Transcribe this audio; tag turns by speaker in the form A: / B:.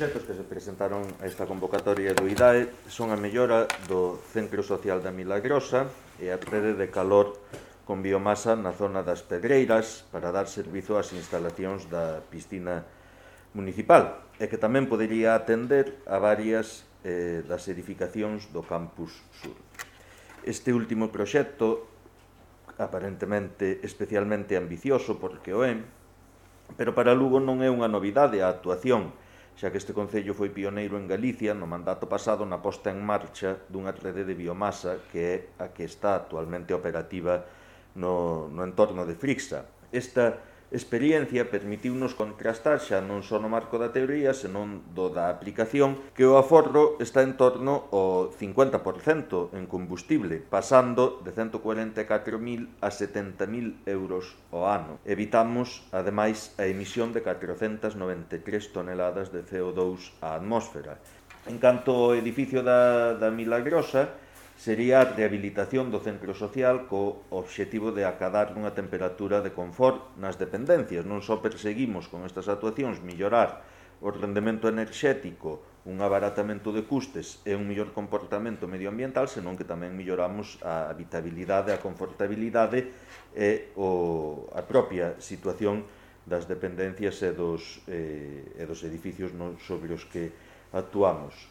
A: proxectos que se presentaron a esta convocatoria do IDAE son a mellora do Centro Social da Milagrosa e a rede de calor con biomasa na zona das Pedreiras para dar servizo ás instalacións da piscina municipal e que tamén podería atender a varias das edificacións do Campus Sur. Este último proxecto, aparentemente especialmente ambicioso porque o é, pero para Lugo non é unha novidade a actuación, xa que este concello foi pioneiro en Galicia no mandato pasado na posta en marcha dunha rede de biomasa que é a que está actualmente operativa no entorno de Frixa. Esta experiencia permitiunos contrastar xa non só no marco da teoría, senón do da aplicación, que o aforro está en torno ao 50% en combustible, pasando de 144.000 a 70.000 euros ao ano. Evitamos, ademais, a emisión de 493 toneladas de CO2 á atmósfera. En canto ao edificio da Milagrosa, sería a rehabilitación do centro social co obxectivo de acadar unha temperatura de confort nas dependencias. Non só perseguimos con estas actuacións mellorar o rendemento enerxético, un abaratamento de custes e un mellor comportamento medioambiental, senón que tamén melloramos a habitabilidade, a confortabilidade e a propia situación das dependencias e dos edificios sobre os que actuamos.